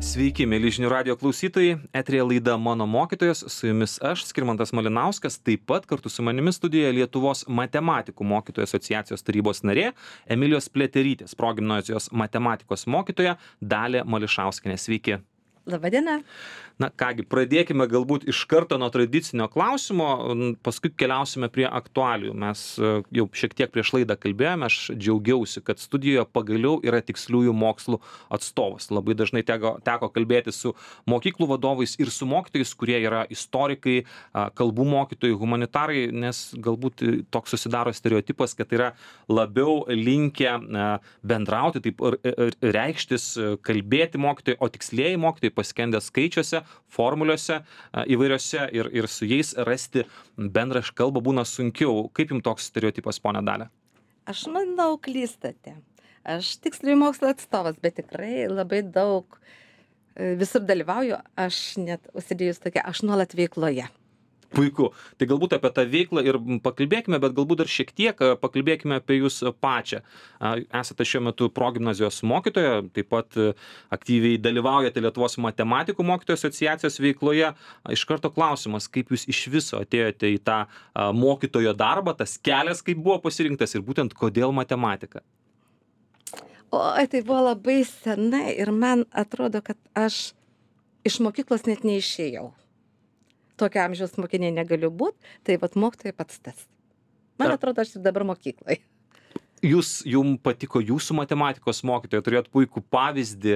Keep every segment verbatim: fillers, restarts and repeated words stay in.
Sveiki, mėly žinių radio klausytojai. Eterėje laida Mano mokytojas, su jumis aš, Skirmantas Malinauskas, taip pat kartu su manimi studijoje Lietuvos matematikų mokytojų asociacijos tarybos narė Emilijos Pliaterytės, progimnazijos matematikos mokytoja Dalia Mališauskienė. Sveiki. Labadiena. Na kągi, pradėkime galbūt iš karto nuo tradicinio klausimo, paskui keliausime prie aktualijų. Mes jau šiek tiek prieš laidą kalbėjome, aš džiaugiausi, kad studijoje pagaliau yra tiksliųjų mokslų atstovas. Labai dažnai teko, teko kalbėti su mokyklų vadovais ir su mokytojais, kurie yra istorikai, kalbų mokytojai, humanitarai, nes galbūt toks susidaro stereotipas, kad yra labiau linkę bendrauti, taip reikštis, kalbėti mokytojai, o tikslieji mokytojai paskendę skaičiuose, formulėse įvairiose ir, ir su jais rasti bendrą kalbą būna sunkiau. Kaip jums toks stereotipas, ponia Dalia? Aš manau, klystate. Aš tiksliųjų mokslo atstovas, bet tikrai labai daug visur dalyvauju. Aš net užsidėjus tokia, aš nuolat veikloje. Puiku. Tai galbūt apie tą veiklą ir pakalbėkime, bet galbūt dar šiek tiek pakalbėkime apie jūs pačią. Esate šiuo metu progimnazijos mokytoja, taip pat aktyviai dalyvaujate Lietuvos matematikų mokytojų asociacijos veikloje. Iš karto klausimas, kaip jūs iš viso atėjote į tą mokytojo darbą, tas kelias kaip buvo pasirinktas ir būtent kodėl matematika? O, tai buvo labai senai ir man atrodo, kad aš iš mokyklos net neišėjau. Tokio amžiaus mokiniai negaliu būti, tai vat mokytojai pats tas. Man atrodo, aš ir dabar mokyklai. Jūs, jums patiko jūsų matematikos mokytoja, turėjot puikų pavyzdį,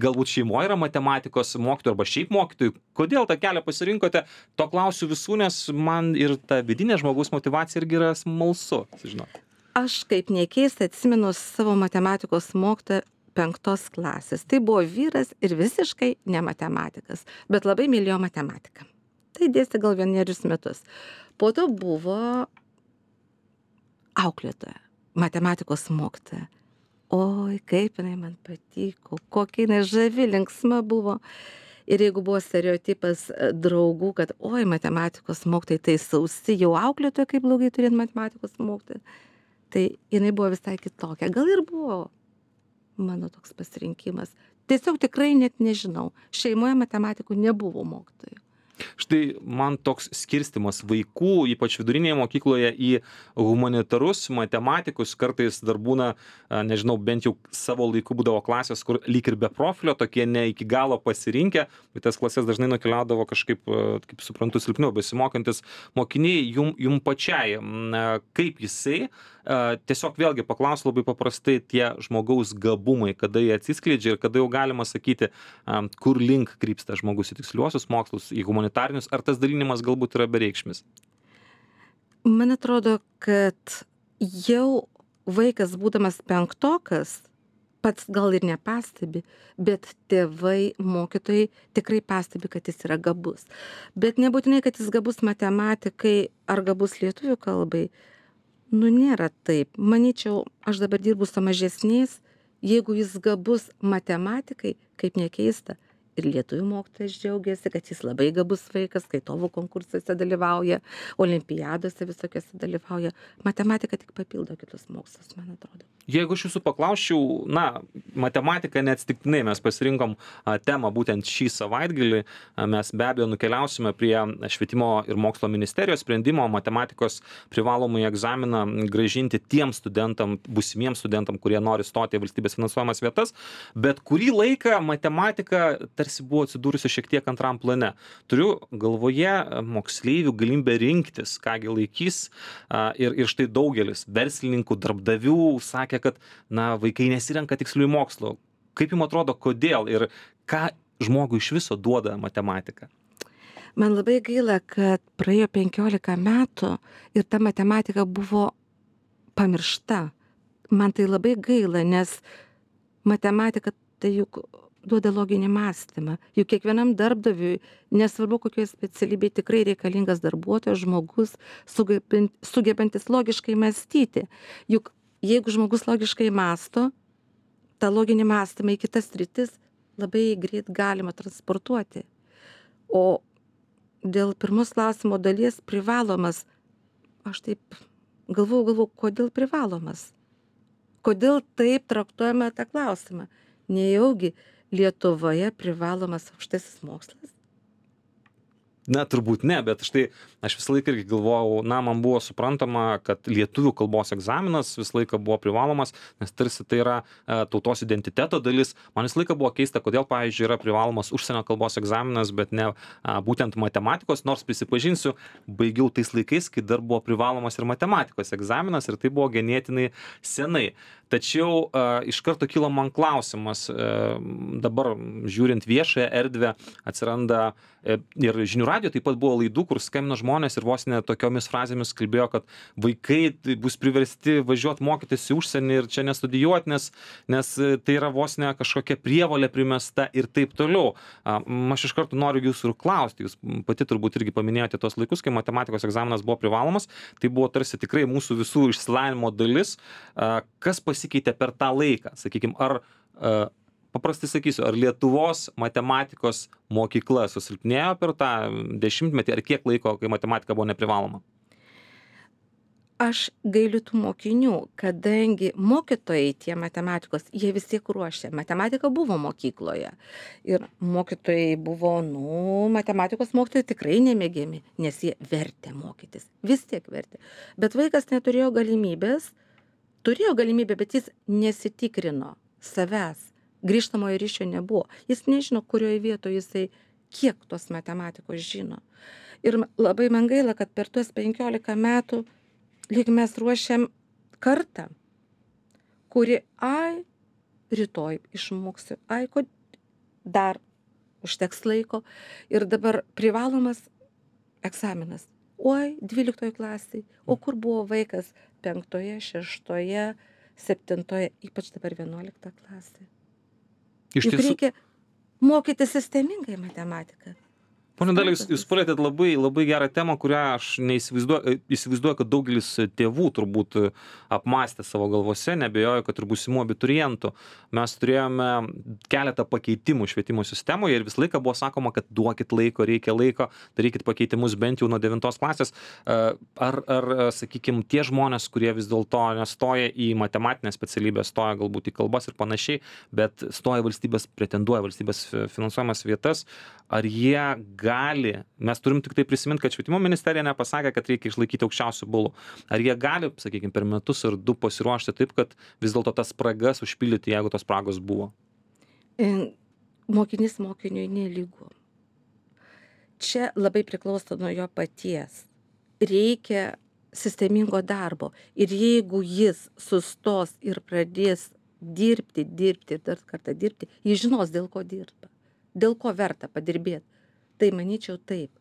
galbūt šeimoje yra matematikos mokytojų arba šiaip mokytojų. Kodėl tą kelią pasirinkote? To klausiu visų, nes man ir ta vidinė žmogaus motyvacija irgi yra smalsu, žinot. Aš kaip nekeista atsimenu savo matematikos mokytoją penktos klasės. Tai buvo vyras ir visiškai ne matematikas, bet labai mylėjo matematiką. Tai dėstė gal vienerius metus. Po to buvo auklėtoja, matematikos mokytoja. Oi, kaip jinai man patiko, kokia jinai žavi, linksma buvo. Ir jeigu buvo stereotipas draugų, kad oi, matematikos mokytojai tai sausi, jau auklėtoja, kaip blogai turėti matematikos mokytoją, tai jinai buvo visai kitokia. Gal ir buvo mano toks pasirinkimas. Tiesiog tikrai net nežinau. Šeimoje matematikų nebuvo mokytojų. Štai man toks skirstimas vaikų, ypač vidurinėje mokykloje, į humanitarus, matematikus, kartais dar būna, nežinau, bent jau savo laiku būdavo klasės, kur lyg ir be profilio, tokie ne iki galo pasirinkę, bet tas klasės dažnai nukeliaudavo kažkaip, kaip suprantu, silpniau besimokantis mokiniai. Jum, jum pačiai, kaip jisai, tiesiog vėlgi paklausiu labai paprastai, tie žmogaus gabumai, kada jie atsiskleidžia ir kada jau galima sakyti, kur link krypsta žmogus į tiksliuosius mokslus, į humanitarinius, ar tas dalinimas galbūt yra bereikšmis? Man atrodo, kad jau vaikas būdamas penktokas, pats gal ir nepastebi, bet tėvai, mokytojai tikrai pastebi, kad jis yra gabus. Bet nebūtinai, kad jis gabus matematikai ar gabus lietuvių kalbai. Nu, nėra taip. Manyčiau, aš dabar dirbu su mažesniais, jeigu jis gabus matematikai, kaip nekeista, ir lietuvių mokytojas džiaugiasi, kad jis labai gabus vaikas, skaitovų konkursuose dalyvauja, olimpiadose visokiose dalyvauja. Matematika tik papildo kitus mokslus, man atrodo. Jeigu aš jūsų paklausčiau, na, matematika neatsitiktinai mes pasirinkom a, temą būtent šį savaitgalį, a, mes be abejo nukeliausime prie švietimo ir mokslo ministerijos sprendimo matematikos privalomąjį egzaminą grąžinti tiem studentam, būsimiems studentam, kurie nori stoti į valstybės finansuojamas vietas, bet kurį laiką matematika tarsi buvo atsidūrusi šiek tiek antram plane. Turiu galvoje moksleivių galimybę rinktis, kągi laikys, a, ir, ir štai daugelis verslininkų, darbdavių sakė, kad na, vaikai nesirenka tiksliųjų mokslų. Kaip jums atrodo, kodėl ir ką žmogui iš viso duoda matematika? Man labai gaila, kad praėjo penkiolika metų ir ta matematika buvo pamiršta. Man tai labai gaila, nes matematika tai juk duoda loginį mąstymą. Juk kiekvienam darbdaviui, nesvarbu kokioje specialybėje, tikrai reikalingas darbuotojas, žmogus, sugebantis logiškai mąstyti. Juk jeigu žmogus logiškai mąsto, tą loginį mąstymą į kitas sritis labai greit galima transportuoti. O dėl pirmos klausimo dalies privalomas, aš taip galvojau, galvojau, kodėl privalomas? Kodėl taip traktuojame tą klausimą? Nejaugi Lietuvoje privalomas aukštasis mokslas? Na, turbūt ne, bet štai aš visą laiką irgi galvojau, na, man buvo suprantama, kad lietuvių kalbos egzaminas visą laiką buvo privalomas, nes tarsi tai yra e, tautos identiteto dalis. Man visą laiką buvo keista, kodėl, pavyzdžiui, yra privalomas užsienio kalbos egzaminas, bet ne a, būtent matematikos, nors prisipažinsiu, baigiau tais laikais, kai dar buvo privalomas ir matematikos egzaminas ir tai buvo ganėtinai senai. Tačiau a, iš karto kilo man klausimas, a, dabar žiūrint viešąją erdvę atsiranda e, ir žinių radijo taip pat buvo laidų, kur skambino žmonės ir vos ne tokiomis frazėmis kalbėjo, kad vaikai bus priversti važiuoti mokytis į užsienį ir čia nestudijuoti, nes, nes tai yra vos ne kažkokia prievolė primesta ir taip toliau. A, aš iš karto noriu jūsų ir klausti, jūs pati turbūt irgi paminėjote tos laikus, kai matematikos egzaminas buvo privalomas, tai buvo tarsi tikrai mūsų visų išsilavinimo dalis. A, kas pasikeitė per tą laiką, sakykime, ar a, paprastai sakysiu, ar Lietuvos matematikos mokykla susilpnėjo per tą dešimtmetį, ar kiek laiko, kai matematika buvo neprivaloma? Aš gailiu tų mokinių, kadangi mokytojai tie matematikos, jie vis tiek ruošia. Matematika buvo mokykloje. Ir mokytojai buvo, nu, matematikos mokytojai tikrai nemėgiami, nes jie vertė mokytis. Vis tiek vertė. Bet vaikas neturėjo galimybės, turėjo galimybę, bet jis nesitikrino savęs. Grįžtamojo ryšio nebuvo. Jis nežino, kurioje vietoje jisai kiek tos matematikos žino. Ir labai man gaila, kad per tuos penkiolika metų lyg mes ruošiam kartą, kuri, ai, rytoj išmoksiu, ai, ko dar užteks laiko. Ir dabar privalomas egzaminas. Oi, dvyliktoje klasėje. O kur buvo vaikas penktoje, šeštoje, septintoje, ypač dabar vienuolikta klasė. Iš Juk tiesų, reikia mokyti sistemingai matematiką. Pone Dalia, jūs, jūs palėtėt labai, labai gerą temą, kurią aš neįsivaizduoju, įsivaizduoju, kad daugelis tėvų turbūt apmastė savo galvose, nebejoju, kad ir būsimų abiturientų. Mes turėjome keletą pakeitimų švietimo sistemoje ir visą laiką buvo sakoma, kad duokit laiko, reikia laiko, darykit pakeitimus bent jau nuo devintos klasės. Ar, ar sakykime, tie žmonės, kurie vis dėlto nestoja į matematinę specialybę, stoja galbūt į kalbas ir panašiai, bet stoja valstybės, pretenduoja valstybės finansuojamas vietas, ar jie gali, mes turim tik tai prisiminti, kad švietimo ministerija nepasakė, kad reikia išlaikyti aukščiausių balų. Ar jie gali, sakykime, per metus ar du pasiruošti taip, kad vis dėlto tas spragas užpildyti, jeigu tos spragos buvo? Mokinys mokiniui nelygu. Čia labai priklauso nuo jo paties. Reikia sistemingo darbo. Ir jeigu jis sustos ir pradės dirbti, dirbti ir dar kartą dirbti, jis žinos, dėl ko dirba. Dėl ko verta padirbėti. Tai manyčiau taip.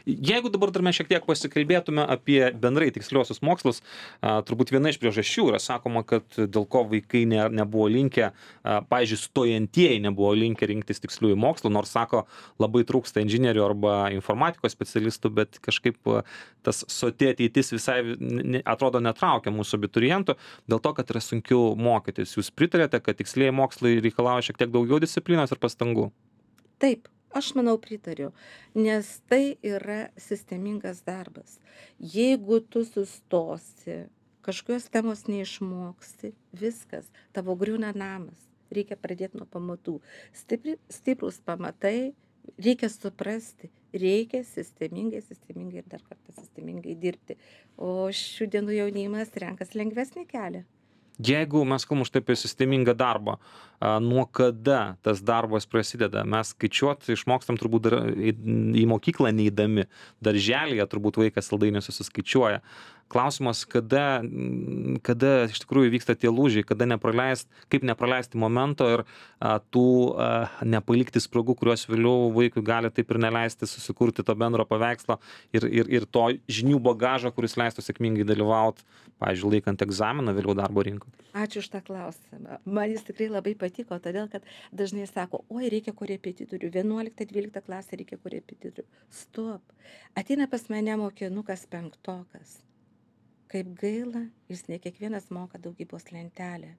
Jeigu dabar dar mes šiek tiek pasikalbėtume apie bendrai tiksliuosius mokslus, a, turbūt viena iš priežasčių yra sakoma, kad dėl ko vaikai ne, nebuvo linkę, a, pavyzdžiui, stojantieji nebuvo linkę rinktis tiksliųjų mokslų, nors sako, labai trūksta inžinierių arba informatikos specialistų, bet kažkaip a, tas soti ateitis visai ne, atrodo netraukia mūsų abiturientų, dėl to, kad yra sunkiau mokytis. Jūs pritarėte, kad tikslieji mokslai reikalauja šiek tiek daugiau disciplinos ir pastangų? Taip. Aš manau pritariu, nes tai yra sistemingas darbas. Jeigu tu sustosi, kažkokios temos neišmoksi, viskas, tavo griūna namas. Reikia pradėti nuo pamatų. Stipri, stiprus pamatai, reikia suprasti, reikia sistemingai, sistemingai ir dar kartą sistemingai dirbti. O šių dienų jaunimas renkas lengvesnį kelią. Jeigu mes kalbam štai apie sistemingą darbą, a, nuo kada tas darbas prasideda? Mes skaičiuot išmokstam turbūt dar į, į mokyklą neįdami, darželyje turbūt vaikas saldainių susiskaičiuoja. Klausimas, kada, kada iš tikrųjų vyksta tie lūžiai, kada nepraleist, kaip nepraleisti momento ir a, tų a, nepalikti spragų, kurios vėliau vaikui gali taip ir neleisti susikurti to bendro paveikslo ir, ir, ir to žinių bagažo, kuris leistų sėkmingai dalyvauti, pavyzdžiui, laikant egzaminą vėliau darbo rinkoje. Ačiū už tą klausimą. Man jis tikrai labai patiko, todėl kad dažnai sako, oi, reikia korepetitorių, vienuolikta dvylikta klasė reikia korepetitorių. Stop. Ateina pas mane mokinukas penktokas. Kaip gaila, jis ne kiekvienas moka daugybos lentelę.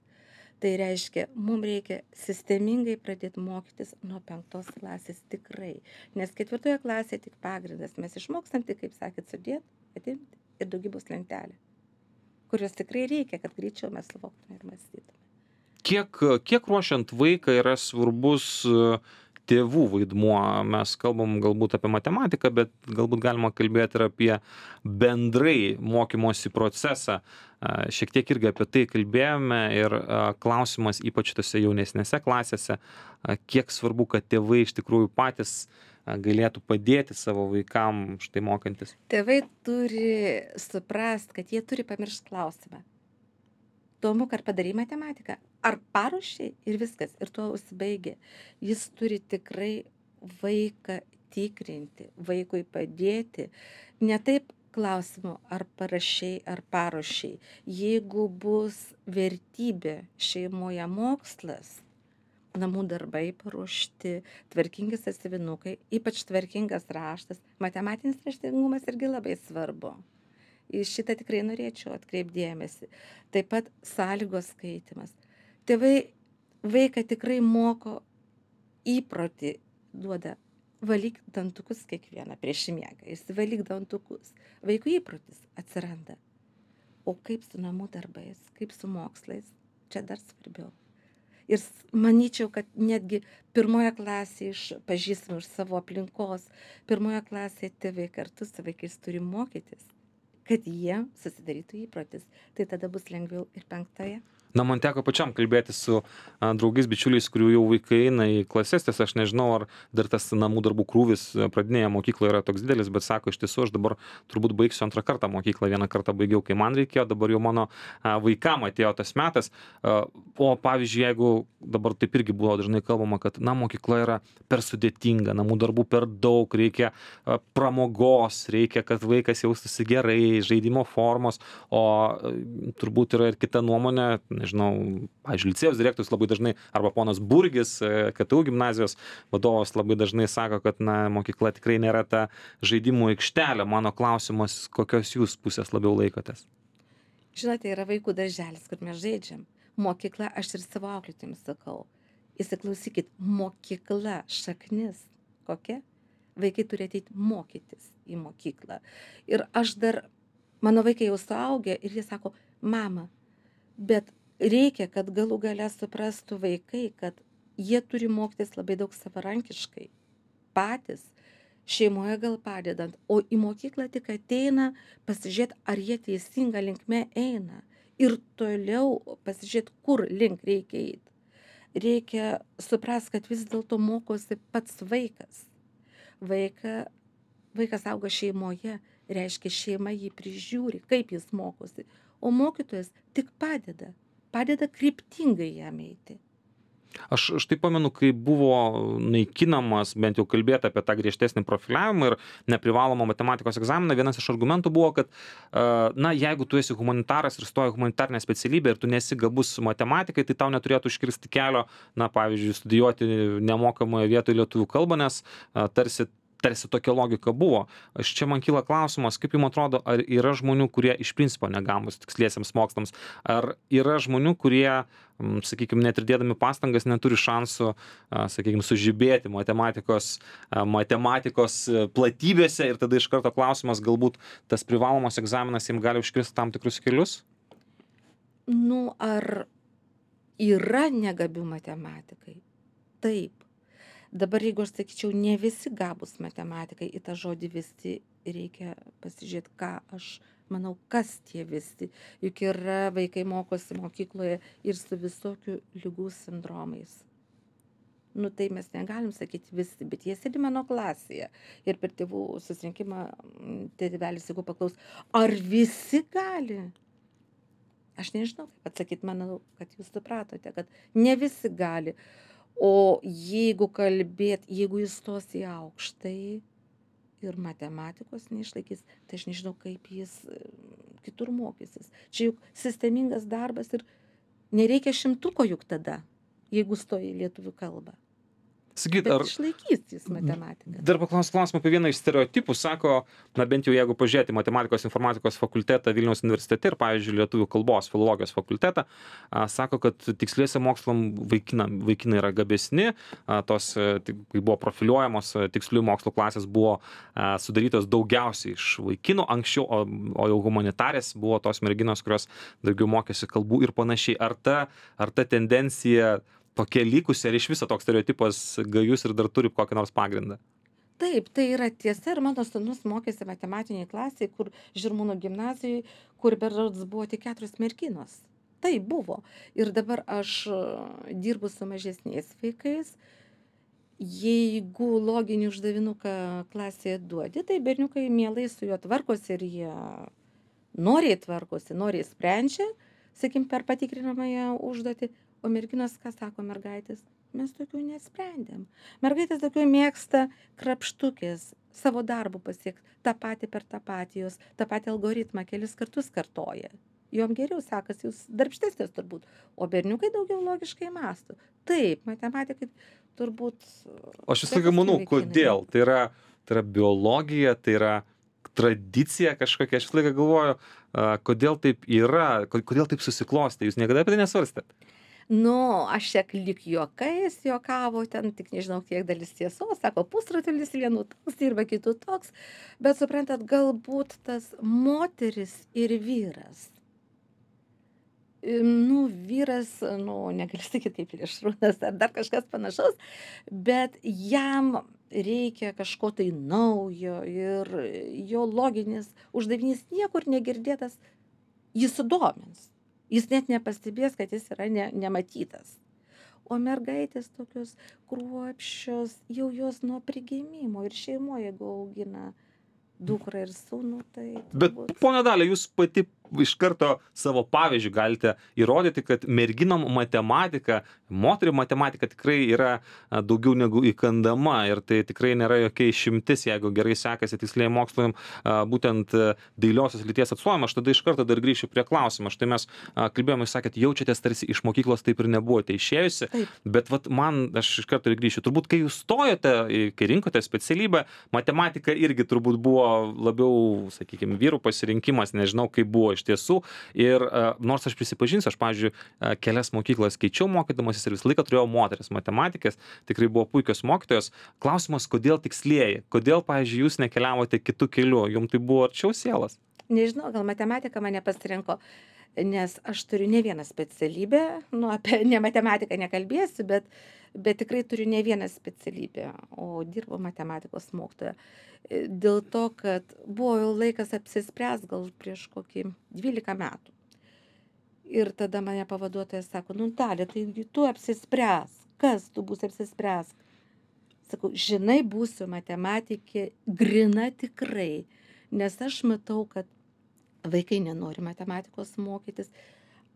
Tai reiškia, mums reikia sistemingai pradėti mokytis nuo penktos klasės tikrai. Nes ketvirtoje klasėje tik pagrindas. Mes išmokstam tik, kaip sakėt, sudėti, atimti ir daugybos lentelę, kurios tikrai reikia, kad greičiau mes suvoktume ir mąstytume. kiek kiek ruošiant vaiką yra svarbus tėvų vaidmuo? Mes kalbam galbūt apie matematiką, bet galbūt galima kalbėti ir apie bendrai mokymosi procesą. Šiek tiek irgi apie tai kalbėjome ir klausimas ypač tose jaunesnėse klasėse, kiek svarbu, kad tėvai iš tikrųjų patys galėtų padėti savo vaikam štai mokantis. Tėvai turi suprast, kad jie turi pamiršti klausimą. Tomuk, ar padarai matematiką? Ar paruošiai? Ir viskas. Ir tuo užsibaigė. Jis turi tikrai vaiką tikrinti, vaikui padėti. Ne taip klausimu, ar parašiai, ar paruošiai. Jeigu bus vertybė šeimoje mokslas, namų darbai paruošti, tvarkingi sąsiuvinukai, ypač tvarkingas raštas, matematinis raštingumas irgi labai svarbu. Į šitą tikrai norėčiau atkreipdėmėsi. Taip pat sąlygos skaitimas. Tėvai vaiką tikrai moko įprotį, duoda valyk dantukus kiekvieną prieš miegą. Jis valyk dantukus. Vaikų įprotis atsiranda. O kaip su namų darbais, kaip su mokslais, čia dar svarbiau. Ir manyčiau, kad netgi pirmoje klasėje iš pažįstamų iš savo aplinkos, pirmoje klasėje tėvai kartu su vaikais turi mokytis, kad jie susidarytų įprotis. Tai tada bus lengviau ir penktoje. Na, man teko pačiam kalbėti su a, draugais, bičiuliais, kurių jau vaikai eina į klases, tiesa, aš nežinau, ar dar tas namų darbų krūvis pradinėje mokykloje yra toks didelis, bet sako, iš tiesų, aš dabar turbūt baigsiu antrą kartą mokyklą, vieną kartą baigiau, kai man reikėjo, dabar jau mano a, vaikam atėjo tas metas. A, o pavyzdžiui, jeigu dabar taip irgi buvo dažnai kalbama, kad na, mokykla yra per sudėtinga, namų darbų per daug, reikia a, pramogos, reikia, kad vaikas jaustųsi gerai, žaidimo formos, o a, turbūt yra ir kita nuomonė, nežinau, pavyzdžiui, licėjaus direktorius labai dažnai, arba ponas Burgis, K T U gimnazijos vadovas, labai dažnai sako, kad na, mokykla tikrai nėra ta žaidimų aikštelė. Mano klausimas, kokios jūs pusės labiau laikotės? Žinote, yra vaikų darželis, kur mes žaidžiam. Mokykla, aš ir savo auklėtėms sakau. Įsiklausykit, mokykla, šaknis. Kokia? Vaikai turi ateiti mokytis į mokyklą. Ir aš dar, mano vaikai jau suaugę ir jie sako, mama, bet reikia, kad galų gale suprastų vaikai, kad jie turi mokytis labai daug savarankiškai, patys, šeimoje gal padedant, o į mokyklą tik ateina pasižiūrėti, ar jie teisinga linkme eina ir toliau pasižiūrėti, kur link reikia eiti. Reikia suprasti, kad vis dėlto mokosi pats vaikas. Vaika, vaikas auga šeimoje, reiškia šeima jį prižiūri, kaip jis mokosi, o mokytojas tik padeda. padeda kryptingai jam eiti. Aš štai pamenu, kai buvo naikinamas, bent jau kalbėti apie tą griežtesnį profiliavimą ir neprivalomą matematikos egzaminą, vienas iš argumentų buvo, kad na, jeigu tu esi humanitaras ir stoji humanitarinę specialybę ir tu nesi gabus matematikai, tai tau neturėtų iškirsti kelio, na, pavyzdžiui, studijuoti nemokamoje vietoje lietuvių kalbą, nes tarsi tarsi tokia logika buvo. Aš čia man kyla klausimas, kaip jums atrodo, ar yra žmonių, kurie iš principo negambus tiksliesiems mokslams, ar yra žmonių, kurie, sakykime, net ir dėdami pastangas neturi šansų, sakykime, sužibėti matematikos, matematikos platybėse ir tada iš karto klausimas, galbūt tas privalomas egzaminas jiems gali užkirsti tam tikrus kelius? Nu, ar yra negabių matematikai? Taip. Dabar, jeigu aš sakyčiau, ne visi gabūs matematikai, į tą žodį visi reikia pasižiūrėti, ką aš manau, kas tie visi. Juk yra vaikai mokosi mokykloje ir su visokių ligų sindromais. Nu, tai mes negalim sakyti visi, bet jie sėdi mano klasėje. Ir per tėvų susirinkimą tėvelis, jeigu paklaus, ar visi gali? Aš nežinau, kaip atsakyti, manau, kad jūs supratote, kad ne visi gali. O jeigu kalbėt, jeigu jis stos į aukštąjį ir matematikos neišlaikys, tai aš nežinau, kaip jis kitur mokysis. Čia juk sistemingas darbas ir nereikia šimtuko juk tada, jeigu stoji į lietuvių kalbą. Sakyt, Bet ar išlaikys jis matematiką. dar paklausiu klausimą apie vieną iš stereotipų. Sako, na bent jau jeigu pažiūrėti matematikos informatikos fakultetą Vilniaus universitete ir, pavyzdžiui, lietuvių kalbos filologijos fakultetą, a, sako, kad tiksliuose mokslam vaikina, vaikinai yra gabesni, a, tos, a, tik- kai buvo profiliuojamos a, tiksliųjų mokslo klasės, buvo a, sudarytos daugiausiai iš vaikinų anksčiau, o, o jau humanitarės buvo tos merginos, kurios daugiau mokėsi kalbų ir panašiai. Ar ta, ar ta tendencija tokia likusi, ar iš viso toks stereotipas gajus ir dar turi kokį nors pagrindą? Taip, tai yra tiesa ir mano sūnus mokėsi matematiniai klasiai, kur Žirmūnų gimnazijai, kur berods buvo tik keturios merginos. Tai buvo. Ir dabar aš e, dirbu su mažesniais vaikais. Jeigu loginį uždavinuką klasėje duodi, tai berniukai mielai su juo tvarkosi ir jie noriai tvarkosi, noriai sprendžia, sakim, per patikrinamąją užduotį. O merginos, ką sako mergaitės? Mes tokių nesprendėm. Mergaitės tokių mėgsta krapštukės, savo darbų pasiekti, tą patį per tą patį, jos tą patį algoritmą kelis kartus kartoja. Jom geriau sekasi, jūs darbštesnės turbūt, o berniukai daugiau logiškai mąsto. Taip, matematikai turbūt... O aš visą laiką manau, kodėl? Tai yra, tai yra biologija, tai yra tradicija kažkokia. Aš visą laiką galvoju, a, kodėl taip yra, ko- kodėl taip susiklostė. Jūs niekada apie tai nesvarstėt? Nu, aš šiek lyg juokais juokavo, ten tik nežinau, kiek dalis tiesos, sako, pusrutulis vienų toks dirba, kitų toks, bet suprantat, galbūt tas moteris ir vyras. Im, Nu, vyras, nu, negaliu sakyti kaip plėšrūnas ar dar kažkas panašaus, bet jam reikia kažko tai naujo ir jo loginis uždavinys niekur negirdėtas, jis sudomins. Jis net nepastebės, kad jis yra ne, nematytas. O mergaitės tokios kruopščios, jau jos nuo prigimimo ir šeimoje, jeigu augina dukrą ir sūnų, tai... Bet, turbūt- ponia Dalia, jūs pati iš karto savo pavyzdžių galite įrodyti, kad merginom matematika, moterių matematika tikrai yra a, daugiau negu įkandama ir tai tikrai nėra jokia išimtis, jeigu gerai sekasi tiksliai mokslam, a, būtent a, dailiosios lyties atstovim. Aš tada iš karto dar grįšiu prie klausimo. Štai mes a, kalbėjome, jūs sakėt, jaučiatės tarsi iš mokyklos taip ir nebuvote išėjusi, Taip. bet vat man, aš iš karto ir grįšiu. Turbūt, kai jūs stojote, į- kai rinkote specialybę, matematika irgi turbūt buvo labiau, sakykime, vyrų pasirinkimas, nežinau, kaip buvo iš tiesų. Ir a, nors aš prisipažinsiu, aš, pavyzdžiui, a, kelias mokyklas keičiau mokydamasis ir visą laiką turėjau moteris matematikės, tikrai buvo puikios mokytojos. Klausimas, kodėl tikslieji? Kodėl, pavyzdžiui, jūs nekeliavote kitų kelių? Jums tai buvo arčiau sielas? Nežinau, gal matematika mane pasirinko, nes aš turiu ne vieną specialybę, nu, apie ne matematiką nekalbėsiu, bet, bet tikrai turiu ne vieną specialybę, o dirbu matematikos mokytoja. E, Dėl to, kad buvo jau laikas apsispręs gal prieš kokį dvylika metų. Ir tada mane pavaduotojas sako, nu, Dalia, tai tu apsispręs, kas tu būsi apsispręs. Sakau, žinai, būsiu matematikė grina tikrai, nes aš matau, kad vaikai nenori matematikos mokytis.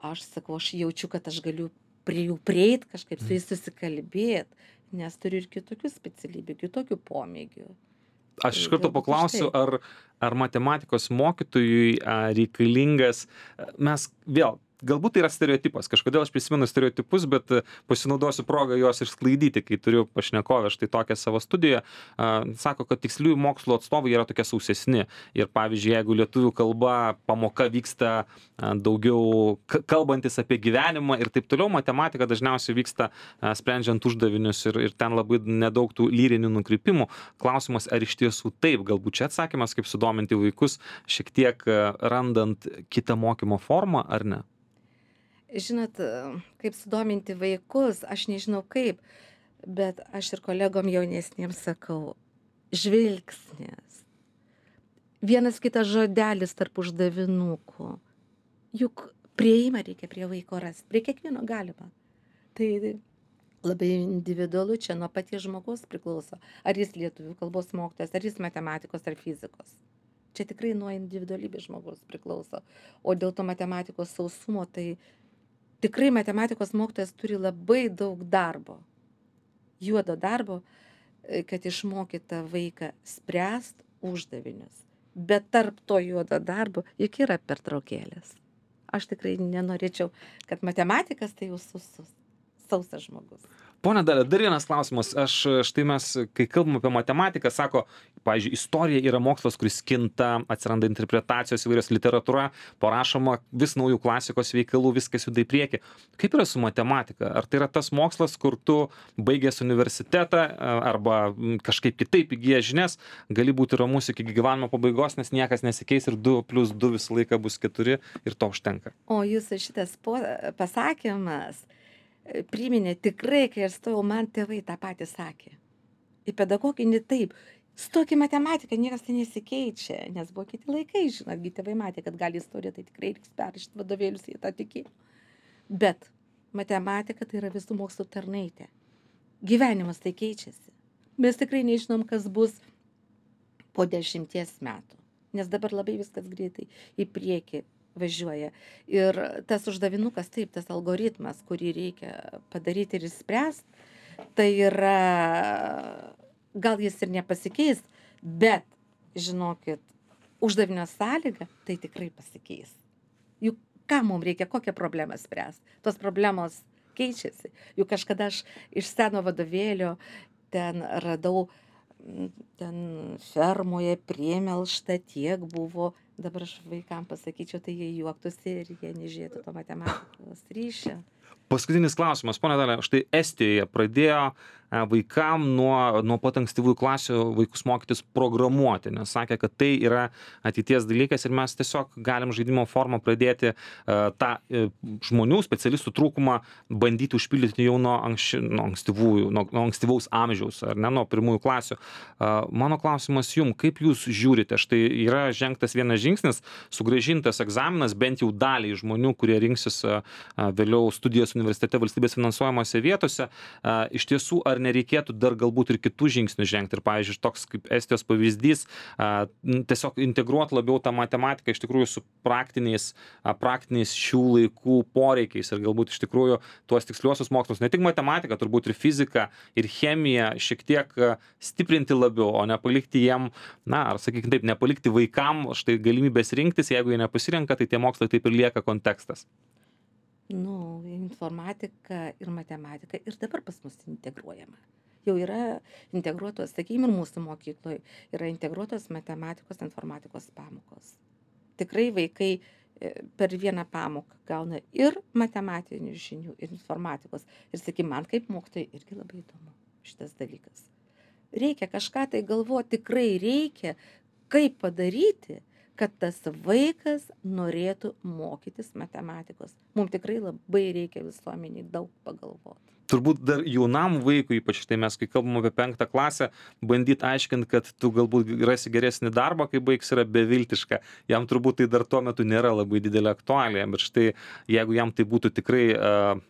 Aš sakau, aš jaučiu, kad aš galiu prie jų prieit, kažkaip su jais susikalbėt, nes turiu ir kitokių specialybių, kitokių pomėgių. Aš iš Tai karto galbūt paklausiu, už tai. ar, ar matematikos mokytojui a, reikalingas, a, mes vėl, galbūt tai yra stereotipas, kažkodėl aš prisimenu stereotipus, bet a, pasinaudosiu progą juos išsklaidyti, kai turiu pašnekovę štai tokią savo studiją. A, Sako, kad tiksliųjų mokslo atstovai yra tokie sausesni. Ir pavyzdžiui, jeigu lietuvių kalba pamoka vyksta a, daugiau k- kalbantis apie gyvenimą ir taip toliau, matematika dažniausiai vyksta a, sprendžiant uždavinius ir, ir ten labai nedaug tų lyrinių nukrypimų. Klausimas, ar iš tiesų taip, galbūt čia atsakymas, kaip sudominti vaikus, šiek tiek a, randant kitą mokymo formą, ar ne? Žinot, kaip sudominti vaikus, aš nežinau kaip, bet aš ir kolegom jaunesniems sakau, žvilgsnis, vienas kitas žodelis tarp uždavinukų, juk prieimą reikia prie vaiko rasti, prie kiekvieno galima. Tai labai individualu, čia nuo paties žmogaus priklauso, ar jis lietuvių kalbos mokytojas, ar jis matematikos ar fizikos. Čia tikrai nuo individualybės žmogaus priklauso. O dėl to matematikos sausumo, tai tikrai matematikos mokytojas turi labai daug darbo, juodo darbo, e, kad išmokytą vaiką spręst uždavinius. Bet tarp to juodo darbo juk yra pertraukėlės. Aš tikrai nenorėčiau, kad matematikas tai jau susus, sausas žmogus. Pone Dalia, dar vienas klausimas. Aš štai mes, kai kalbam apie matematiką, sako, pavyzdžiui, istorija yra mokslas, kuris kinta, atsiranda interpretacijos įvairios, literatūra, parašoma vis naujų klasikos veikalų, viskas juda į priekį. Kaip yra su matematika? Ar tai yra tas mokslas, kur tu baigęs universitetą arba kažkaip kitaip įgyjęs žinias, gali būti ramus iki gyvenimo pabaigos, nes niekas nesikeis ir du plius du visą laiką bus keturi ir to užtenka? O jūsų šitas po, pasakymas priminė tikrai, kai aš stojau, man tėvai tą patį sakė. Į pedagoginį taip. Stok į matematiką, niekas tai nesikeičia, nes buvo kiti laikai, žinotgi tėvai matė, kad gali istoriją, tai tikrai reiks perrašyti vadovėlius, jie tą tikėjo. Bet matematika tai yra visų mokslų tarnaitė. Gyvenimas tai keičiasi. Mes tikrai nežinom, kas bus po dešimties metų, nes dabar labai viskas greitai į priekį važiuoja. Ir tas uždavinukas, taip, tas algoritmas, kurį reikia padaryti ir išspręsti, tai yra, gal jis ir nepasikeis, bet, žinokit, uždavinio sąlyga, tai tikrai pasikeis. Juk ką mums reikia, kokią problemą spręsti? Tos problemos keičiasi. Juk kažkada aš iš seno vadovėlio ten radau, ten fermoje priemelšta tiek buvo. Dabar aš vaikams pasakyčiau, tai jie juoktųsi ir jie nežiūrėtų to matematikos ryšio. Paskutinis klausimas, ponia Dalia, štai Estijoje pradėjo vaikam nuo, nuo pat ankstyvųjų klasių vaikus mokytis programuoti, nes sakė, kad tai yra ateities dalykas ir mes tiesiog galim žaidimo formą pradėti uh, tą uh, žmonių, specialistų trūkumą bandyti užpildyti jau nuo, anksči, nuo, ankstyvųjų, nuo, nuo ankstyvaus amžiaus, ar ne, nuo pirmųjų klasių. Uh, mano klausimas jums, kaip jūs žiūrite, štai yra žengtas vienas žingsnis, sugrąžintas egzaminas bent jau daliai žmonių, kurie rinksis uh, vėliau studijas universitete valstybės finansuojamose vietose. Uh, iš tiesų, ar nereikėtų dar galbūt ir kitų žingsnių žengti. Ir, pavyzdžiui, toks kaip Estijos pavyzdys, a, tiesiog integruoti labiau tą matematiką iš tikrųjų su praktiniais, a, praktiniais šių laikų poreikiais ir galbūt iš tikrųjų tuos tiksliuosius mokslus, ne tik matematiką, turbūt ir fiziką, ir chemiją šiek tiek a, stiprinti labiau, o nepalikti jiem, na, ar sakykime taip, nepalikti vaikam štai galimybės rinktis, jeigu jie nepasirenka, tai tie mokslai taip ir lieka kontekstas. Nu, informatika ir matematika ir dabar pas mus integruojama. Jau yra integruotos, sakykime, ir mūsų mokykloje yra integruotos matematikos, informatikos pamokos. Tikrai vaikai per vieną pamoką gauna ir matematinių žinių, ir informatikos. Ir sakykime, man kaip mokytojai irgi labai įdomu šitas dalykas. Reikia kažką tai galvoti, tikrai reikia, kaip padaryti, kad tas vaikas norėtų mokytis matematikos. Mums tikrai labai reikia visuomeniai daug pagalvoti. Turbūt dar jaunam vaikui, ypač tai mes, kai kalbam apie penktą klasę, bandyti aiškinti, kad tu galbūt rasi geresnį darbą, kai baigs, yra beviltiška. Jam turbūt tai dar tuo metu nėra labai didelė aktualija, bet štai jeigu jam tai būtų tikrai,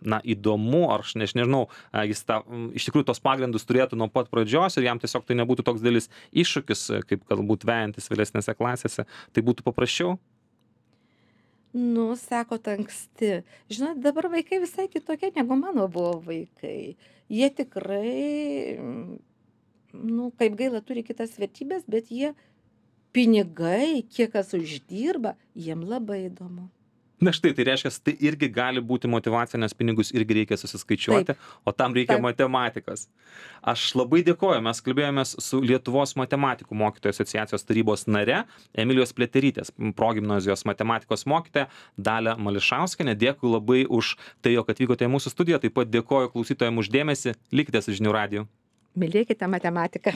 na, įdomu, ar aš nežinau, jis tą, iš tikrųjų tos pagrindus turėtų nuo pat pradžios ir jam tiesiog tai nebūtų toks didelis iššūkis, kaip galbūt vejantis vėlesnėse klasėse, tai būtų paprasčiau. Nu, sakot, anksti. Žinot, dabar vaikai visai kitokie, negu mano buvo vaikai. Jie tikrai, nu, kaip gaila, turi kitas vertybės, bet jie pinigai, kiek kas uždirba, jiem labai įdomu. Na štai, tai reiškia, tai irgi gali būti motyvacija, nes pinigus irgi reikia susiskaičiuoti, taip, o tam reikia taip. Matematikos. Aš labai dėkoju, mes kalbėjomės su Lietuvos matematikų mokytojų asociacijos tarybos nare Emilijos Pliaterytės, progimnazijos matematikos mokytoja Dalia Mališauskienė. Dėkui labai už tai, jog atvykote į mūsų studiją, taip pat dėkoju klausytojams už dėmesį, likite su Žinių radiju. Mylėkite matematiką.